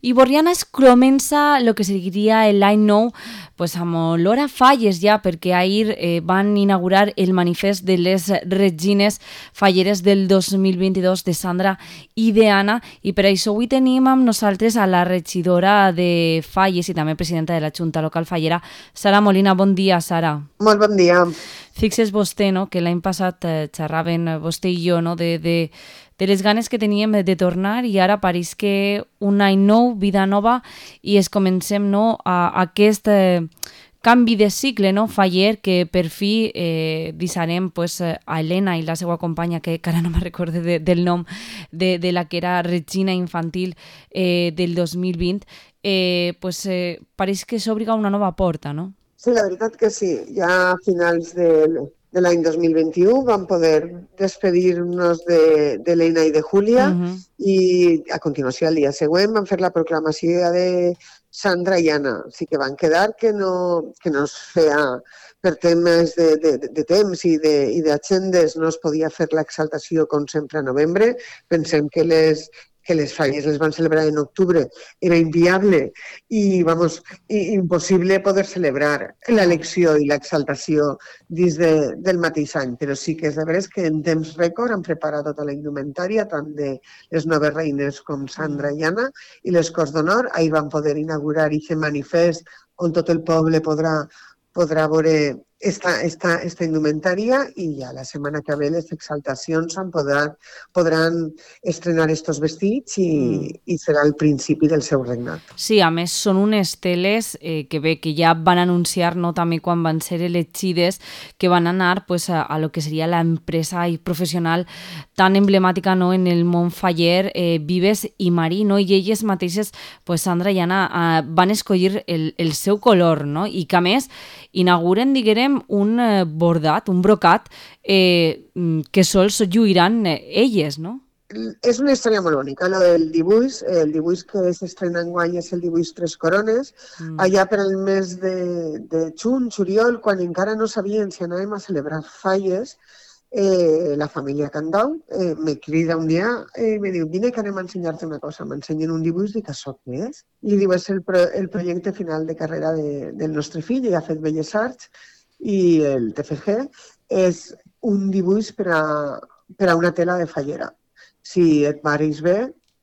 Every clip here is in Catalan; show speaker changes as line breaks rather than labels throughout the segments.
I Borriana es comença el que seria l'any nou pues, amb olor a falles ja, perquè ahir van inaugurar el manifest de les Regines Falleres del 2022 de Sandra i d'Anna, i per això avui tenim amb nosaltres a la regidora de Falles i també presidenta de la Junta Local Fallera, Sara Molina. Bon dia, Sara.
Molt bon dia.
Fixes vostè, no?, que l'any passat xerraven vostè i jo, no?, de les ganes que teníem de tornar, i ara pareix que un any nou, vida nova, i es comencem, no, a aquest canvi de cicle, no, faller, que per fi deixarem pues, a Helena i la seva companya, que ara no me recorde del nom de la que era Regina Infantil del 2020, pues, pareix que s'obriga una nova porta, no?
Sí, la veritat que sí. Ja a finals de l'any 2021 vam poder despedir-nos de l'Eina i de Júlia i a continuació, el dia següent, vam fer la proclamació de Sandra i Anna. O sigui que van quedar que no es feia per temes de temps i d'agendes, no es podia fer l'exaltació com sempre a novembre. Pensem que les falles les van celebrar en octubre, era inviable i impossible poder celebrar l'elecció i l'exaltació dins del mateix any, però sí que és de veres que en temps rècord han preparat tota la indumentària, tant de les noves reines com Sandra i Anna, i les Corts d'Honor. Ahir van poder inaugurar aquest manifest on tot el poble podrà veure esta indumentària, i ja la setmana que ve les exaltacions podran estrenar estos vestits i serà el principi del seu regnat.
Sí, a més són unes teles que ja van anunciar, no, també quan van ser elegides, que van anar pues, a lo que seria l'empresa i professional tan emblemàtica, no, en el món faller, Vives i Marí, no? I elles mateixes, pues, Sandra i Anna, van escollir el seu color, no? I que a més inauguren, diguem, un bordat, un brocat que sols lluiran elles, no?
És una història molt bonica, el dibuix que s'estrena enguany és el dibuix Tres Corones. Allà per el mes de juliol, quan encara no sabien si anàvem a celebrar falles, la família Candau me crida un dia i me diu: vine que anem a ensenyar-te una cosa. M'ensenyen un dibuix, dic: això què és? I diu: és el projecte final de carrera del nostre fill, ell ha fet Belles Arts, i el TFG és un dibuix per a una tela de fallera. Si et pareix bé,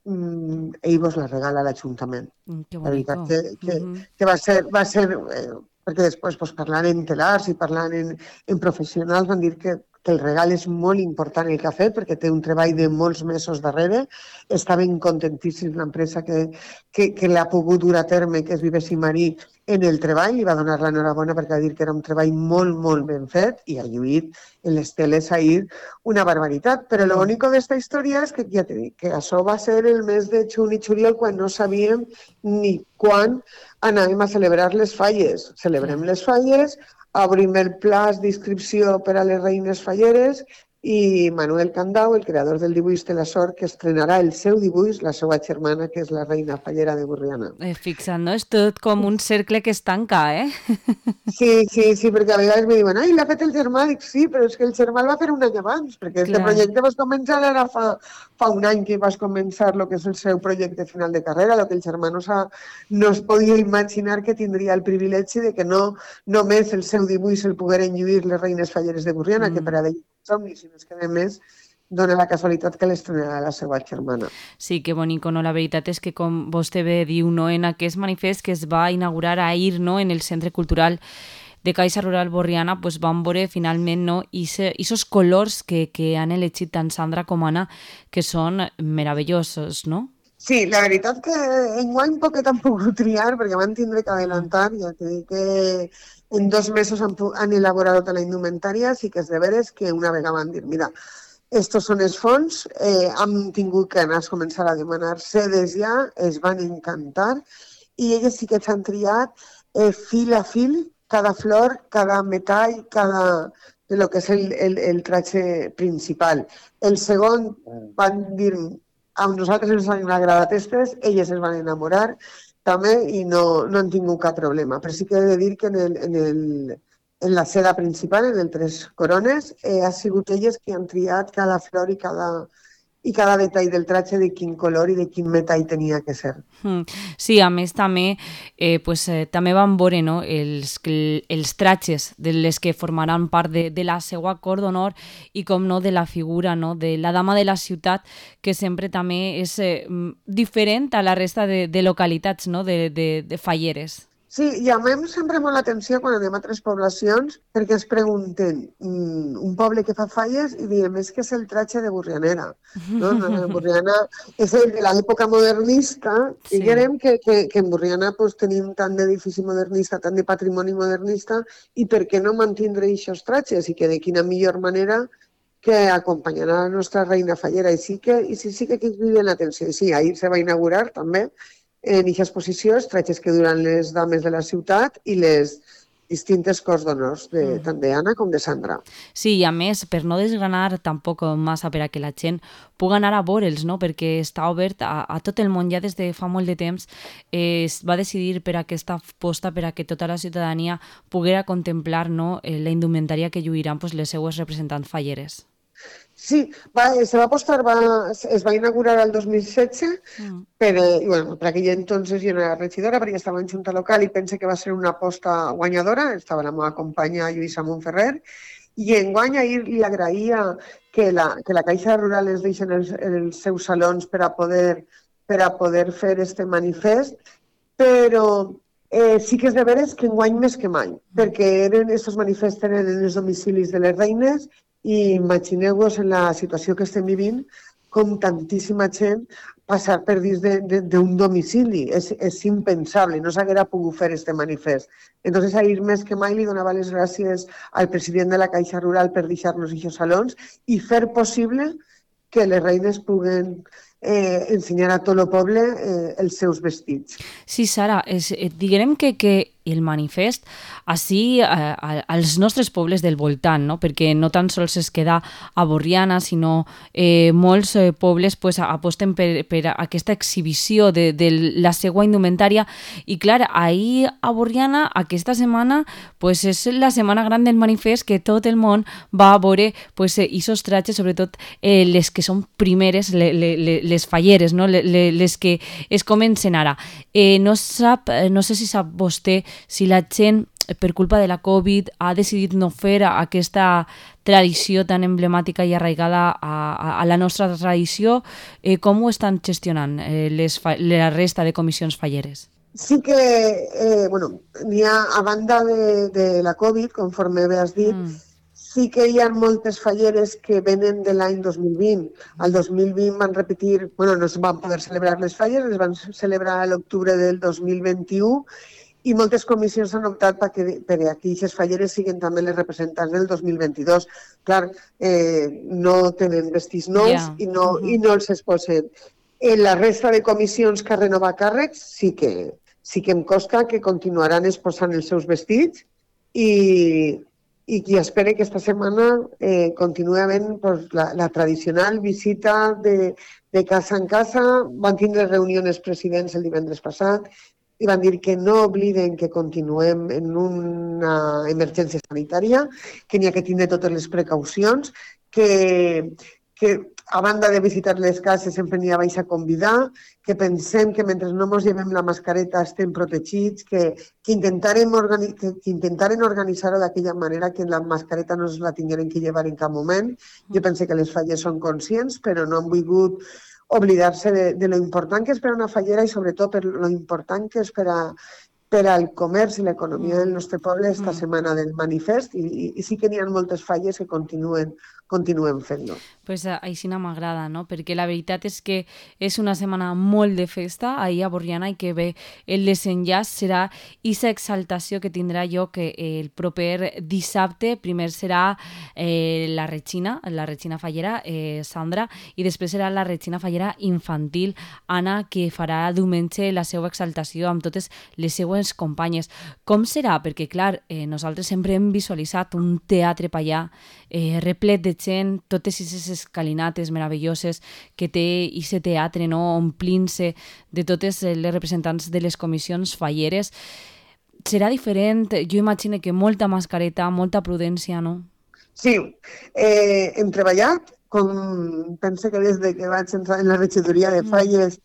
ell vos la regala a l'Ajuntament.
La veritat
que va ser perquè després parlant en telars i parlant en professionals van dir que el regal és molt important el que ha fet, perquè té un treball de molts mesos darrere. Estaven contentíssims l'empresa que l'ha pogut dur a terme, que és Vives i Marí, en el treball, i va donar l'enhorabona perquè va dir que era un treball molt, molt ben fet, i ha lluït en les teles ahir una barbaritat. Però lo único d'esta història és que, ja t'he dit, que això va ser el mes de juny i juliol, quan no sabíem ni quan anàvem a celebrar les falles. Celebrem les falles, obrim el plaç d'inscripció per a les reines falleres, i Manuel Candau, el creador del dibuix, té la sort que estrenarà el seu dibuix, la seva germana, que és la reina fallera de Borriana.
Fixa't, no? És tot com un cercle que es tanca,
Sí, perquè a vegades me diuen: ai, l'ha fet el germà. Dic: sí, però és que el germà el va fer un any abans, perquè aquest projecte vas començar ara fa un any que vas començar el que és el seu projecte final de carrera, el que el germà no es podia imaginar que tindria el privilegi de que no només el seu dibuix el pogueren lluir les reines falleres de Borriana, que per a ell somni, sinó que a més dona la casualitat que l'estrenarà la seva germana.
Sí, que bonico, no? La veritat és que, com vostè bé diu, no, en aquest manifest que es va inaugurar ahir, no, en el Centre Cultural de Caixa Rural Borriana, pues van veure finalment, no, esos colors que han elegit tant Sandra com Anna, que són meravellosos, no?
Sí, la veritat que enguany poquet han pogut triar, perquè van tindre que adelantar, ja t'he dit que en 2 mesos han elaborat tota la indumentària, sí que és de veres que una vegada van dir: mira, estos són els fons, hem tingut que anar a començar a demanar sedes ja, es van encantar, i elles sí que s'han triat fil a fil, cada flor, cada metall, cada de lo que és el tratge principal. El segon van dir: a nosaltres ens han agradat aquestes, elles es van enamorar també i no han tingut cap problema. Però sí que he de dir que en la seda principal, en el Tres Corones, ha sigut elles que han triat cada flor i i cada detall del tratge de quin color i de quin metall tenia que ser.
Sí, a més també també van veure, no, els tratges de les que formaran part de la seva cor d'honor i com no de la figura, no, de la dama de la ciutat, que sempre també és diferent a la resta de localitats, no, de falleres.
Sí, i a mi em sempre molt l'atenció quan anem a altres poblacions perquè ens pregunten un poble que fa falles i diem és que és el tratge de Burrianera. No? Burriana és el de l'època modernista, sí. Diguem que en Burriana pues, tenim tant d'edifici modernista, tant de patrimoni modernista i per què no mantindre aquests tratges i que de quina millor manera que acompanyar a la nostra reina fallera. I sí que criden l'atenció. I sí, ahir se va inaugurar també en aquesta exposició els tratges que duran les dames de la ciutat i les distintes cors d'honors, tant d'Anna com de Sandra.
Sí, i a més, per no desgranar tampoc massa per a que la gent pugui anar a veure'ls, no? Perquè està obert a tot el món ja des de fa molt de temps. Es va decidir per aquesta aposta per a que tota la ciutadania poguera contemplar, no, la indumentària que lluiran pues, les seues representants falleres.
Sí, se va apostar, es va inaugurar el 2016, però bueno, per aquell entonces jo no era regidora perquè estava en junta local i pense que va ser una aposta guanyadora, estava la meva companya Lluïsa Montferrer, i enguany ahir li agraïa que la Caixa Rural ens deixen els seus salons per a poder fer este manifest, però sí que és de veres que enguany més que mai, perquè aquests manifests eren en els domicilis de les reines i imagineu-vos en la situació que estem vivint com tantíssima gent passar per dins d'un domicili. És impensable, no s'haguera pogut fer este manifest. Entonces, ahir més que mai li donava les gràcies al president de la Caixa Rural per deixar-nos aquests salons i fer possible que les reines puguen ensenyar a tot el poble els seus vestits.
Sí, Sara, diguem que el manifest així als nostres pobles del voltant, no? Perquè no tan sols es queda a Borriana, sinó molts pobles pues, aposten per aquesta exhibició de la seva indumentària i clar, ahir a Borriana aquesta setmana pues, és la setmana gran del manifest que tot el món va a veure pues, esos tratges, sobretot les que són primeres, les falleres, no? Les que es comencen ara. No sé si sap vostè si la gent, per culpa de la Covid, ha decidit no fer aquesta tradició tan emblemàtica i arraigada a la nostra tradició. Com ho estan gestionant la resta de comissions falleres?
Sí que, n'hi ha, a banda de la Covid, conforme bé has dit, sí que hi ha moltes falleres que venen de l'any 2020. Al 2020 van repetir, no es van poder celebrar les falles, les van celebrar a l'octubre del 2021 i moltes comissions han optat per que aquestes falleres siguin també les representants del 2022. Clar, no tenen vestits nous i no els exposen. En la resta de comissions que renovar càrrecs sí que em consta que continuaran exposant els seus vestits i qui espera que esta setmana continuï havent la tradicional visita de casa en casa. Van tindre reunions presidents el divendres passat i van dir que no obliden que continuem en una emergència sanitària, que n'hi ha que tindre totes les precaucions, que a banda de visitar les cases sempre n'hi ha a convidar, que pensem que mentre no ens llevem la mascareta estem protegits, que intentaren organitzar-ho d'aquella manera que la mascareta no es la tingueren que llevar en cap moment. Jo penso que les falles són conscients, però no han volgut oblidar-se de lo important que és per a una fallera i sobretot per lo important que és per al comerç i l'economia del nostre poble esta setmana del manifest i sí que n'hi ha moltes falles que continuen fent-lo.
Pues així no m'agrada, no? Perquè la veritat és que és una setmana molt de festa ahir a Borriana i que bé, el desenllaç serà aquesta exaltació que tindrà lloc el proper dissabte. Primer serà la Regina Fallera, Sandra, i després serà la Regina Fallera infantil, Anna, que farà diumenge la seva exaltació amb totes les seues companyes. Com serà? Perquè, clar, nosaltres sempre hem visualitzat un teatre per allà replet de gent, totes aquestes escalinates meravelloses que té aquest teatre, no? Omplint-se de totes les representants de les comissions falleres. Serà diferent? Jo imagino que molta mascareta, molta prudència, no?
Sí, hem treballat com penso que des que vaig entrar en la regidoria de Falles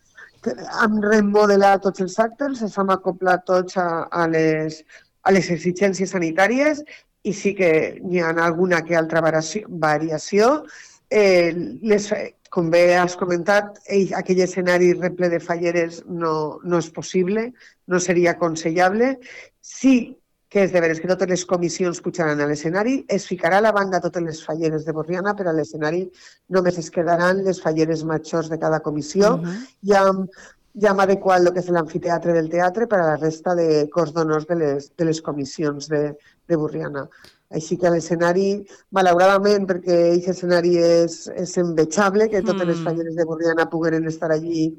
hem remodelat tots els actes, ens hem acoplat tots a les exigències sanitàries i sí que hi ha alguna que altra variació. Com bé has comentat, aquell escenari reple de falleres no és possible, no seria aconsellable. Sí que és de veres que totes les comissions pujaran a l'escenari, es ficarà a la banda totes les falleres de Borriana, però a l'escenari només es quedaran les falleres majors de cada comissió. Ja hem adequat el que és l'amfiteatre del teatre per a la resta de cors d'honors de les comissions de Borriana. Així que l'escenari, malauradament, perquè aquest escenari és envejable, que totes les falleres de Borriana pogueren estar allí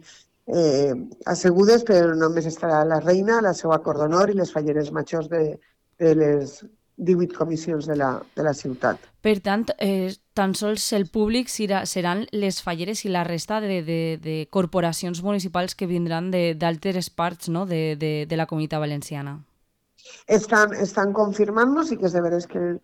assegudes, però només estarà la reina, la seva cor d'honor i les falleres majors de les 18 comissions de la ciutat.
Per tant, tan sols el públic seran les falleres i la resta de corporacions municipals que vindran d'altres parts, no?, de la Comunitat Valenciana.
Estan confirmant-nos i que és de veres que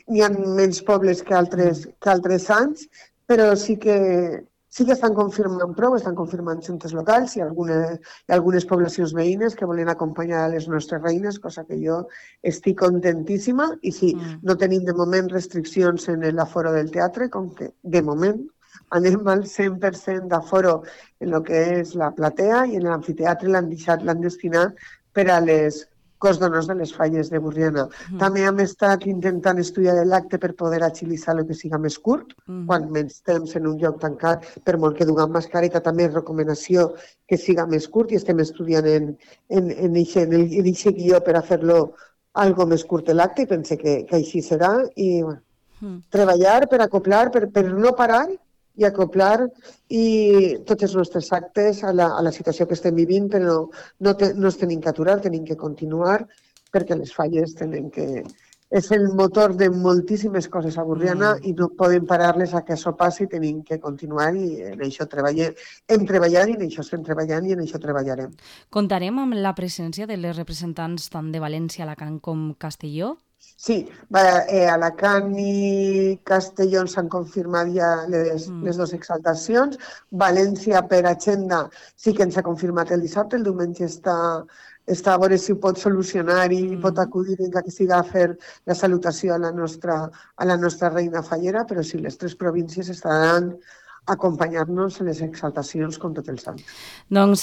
hi ha menys pobles que altres anys, però sí que estan confirmant prou, estan confirmant juntes locals i algunes poblacions veïnes que volen acompanyar a les nostres reines, cosa que jo estic contentíssima. I sí, no tenim de moment restriccions en l'aforo del teatre, com que de moment anem al 100% d'aforo en el que és la platea i en l'amfiteatre l'han destinat per a les cos d'honors de les falles de Borriana. També hem estat intentant estudiar l'acte per poder agilitzar el que siga més curt, quan menys temps en un lloc tancat, per molt que duguem mascareta, també és recomanació que siga més curt i estem estudiant en aquest guió per a fer-lo algo més curt l'acte i pense que així serà i treballar per acoplar, per no parar i acoplar tots els nostres actes a la situació que estem vivint, però no es tenim que aturar, tenim que continuar, perquè les falles tenen que... És el motor de moltíssimes coses a Borriana i no podem parar-les a que això passi, tenim que continuar i en això treballem. Hem treballat i en això estem treballant i en això treballarem.
Comptarem amb la presència de les representants tant de València, Alacant com Castelló?
Sí, Alacant i Castelló s'han confirmat ja les dues exaltacions. València, per agenda, sí que ens ha confirmat el dissabte. El diumenge està a veure si ho pot solucionar i pot acudir que siga a fer la salutació a la nostra reina fallera, però sí, les tres províncies estaran acompanyar-nos en les exaltacions com tot el sant.
Doncs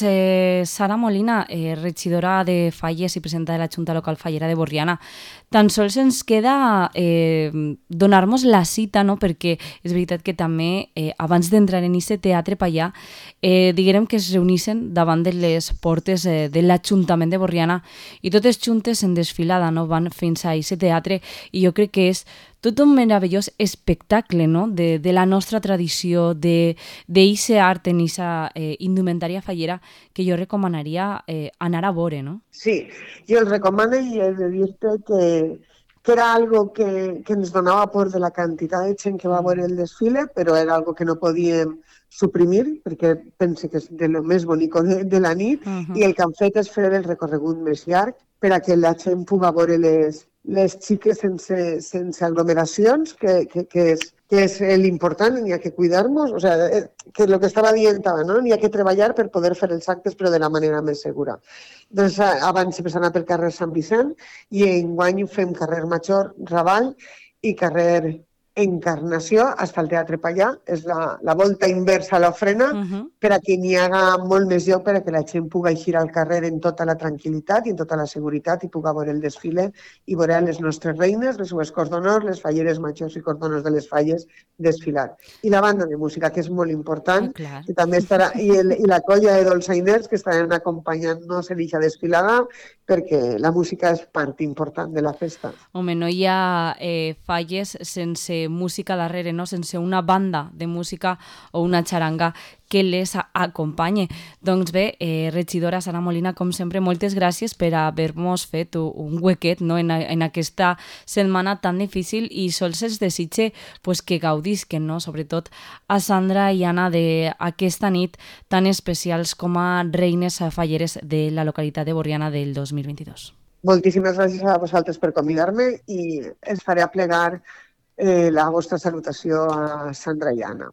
Sara Molina, regidora de Falles i presidenta de la Junta Local Fallera de Borriana, tan sols ens queda donar-nos la cita, no? Perquè és veritat que també abans d'entrar en aquest teatre pallà diguem que es reunissen davant de les portes de l'Ajuntament de Borriana i totes juntes en desfilada, no? Van fins a aquest teatre i jo crec que és tot un meravellós espectacle, no? De la nostra tradició, d'eixe art en eixa indumentària fallera que jo recomanaria anar a veure, no?
Sí, jo el recomano i he de dir-te que era algo que ens donava por de la quantitat de gent que va veure el desfile, però era algo que no podíem suprimir, perquè pense que és de lo més bonic de la nit, i el que han fet és fer el recorregut més llarg per a que la gent pugui veure les xiques sense aglomeracions, que és l'important, n'hi ha que cuidar-nos, o sigui, que el que estava dient, no? N'hi ha que treballar per poder fer els actes, però de la manera més segura. Doncs abans sempre s'ha anat pel carrer Sant Vicent i enguany fem carrer Major, Raval i carrer Encarnació fins al Teatre Pallà. És la volta inversa a l'ofrena per a que n'hi haga molt més lloc per a que la gent pugui eixir al carrer en tota la tranquil·litat i en tota la seguretat i pugui veure el desfile i veure les nostres reines, les seues cors d'honor, les falleres majors i cors d'honor de les falles desfilar. I la banda de música, que és molt important, que també estarà, i la colla de dolçainers que estaran acompanyant-nos en aquesta desfilada, perquè la música és part important de la festa.
Home, no hi ha falles sense música darrere, no? Sense una banda de música o una xaranga que les acompanye. Doncs bé, regidora Sara Molina, com sempre, moltes gràcies per haver-nos fet un huequet, no? en aquesta setmana tan difícil i sols els desitge pues, que gaudisquen, no? Sobretot a Sandra i Anna d'aquesta nit tan especials com a reines falleres de la localitat de Borriana del 2022.
Moltíssimes gràcies a vosaltres per convidar-me i ens faré aplegar la vostra salutació a Sandra i Anna.